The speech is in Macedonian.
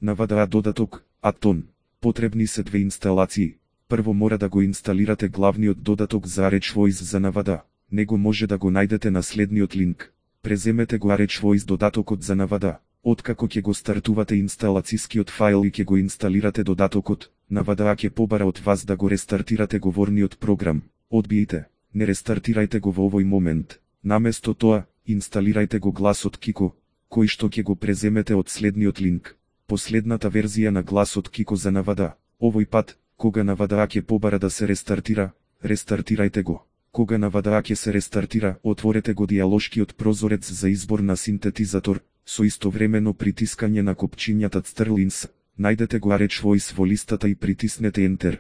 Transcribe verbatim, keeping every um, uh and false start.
Навада додаток, Атон. Потребни се две инсталации. Прво мора да го инсталирате главниот додаток за ArchVoice за Навада. Него може да го најдете на следниот линк. Преземете го ArchVoice додатокот за Навада. Откако ќе го стартувате инсталацијскиот файл и ќе го инсталирате додатокот, Навада ќе побара од вас да го рестартирате говорниот програм. Одбијте, не рестартирајте го во овој момент. Наместо тоа, инсталирајте го гласот Кико, кој што ќе го преземете од следниот линк. Последната верзија на гласот Кико за Навада. Овој пат, кога Навада ќе побара да се рестартира, рестартирајте го. Кога Навада ќе се рестартира, отворете го дијалошкиот прозорец за избор на синтетизатор, со истовремено притискање на копчињата Цтрлинс. Најдете го ArchVoice во листата и притиснете Enter.